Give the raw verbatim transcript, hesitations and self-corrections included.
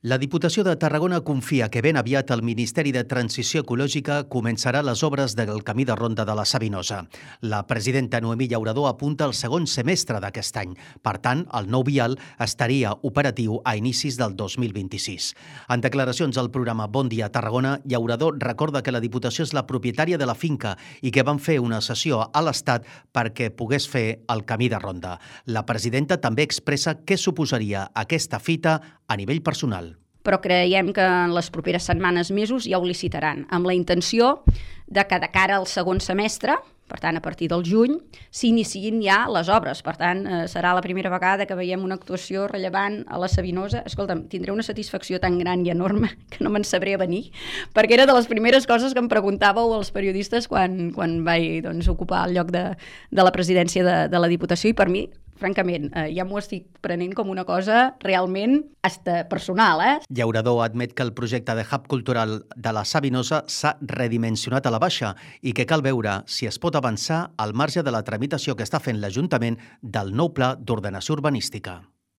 La Diputació de Tarragona confia que ben aviat el Ministeri de Transició Ecològica començarà les obres del camí de ronda de la Sabinosa. La presidenta Noemí Llaurador apunta al segon semestre d'aquest any. Per tant, el nou vial estaria operatiu a inicis del dos mil vint-i-sis. En declaracions al programa Bon Dia Tarragona, Llaurador recorda que la Diputació és la propietària de la finca i que van fer una cessió a l'Estat perquè pogués fer el camí de ronda. La presidenta també expressa què suposaria aquesta fita a nivell personal. Però creiem que en les properes setmanes, mesos, ja ho licitaran, amb la intenció de que de cara al segon semestre, per tant, a partir del juny, s'iniciïn ja les obres. Per tant, eh, serà la primera vegada que veiem una actuació rellevant a la Sabinosa. Escolta'm, tindré una satisfacció tan gran i enorme que no me'n sabré venir, perquè era de les primeres coses que em preguntàveu els periodistes quan, quan vaig doncs, ocupar el lloc de, de la presidència de, de la Diputació, i per mi, francament, eh, ja m'ho estic prenent com una cosa realment hasta personal. Eh? Llaurador admet que el projecte de hub cultural de la Sabinosa s'ha redimensionat a la baixa i que cal veure si es pot avançar al marge de la tramitació que està fent l'Ajuntament del nou pla d'ordenació urbanística.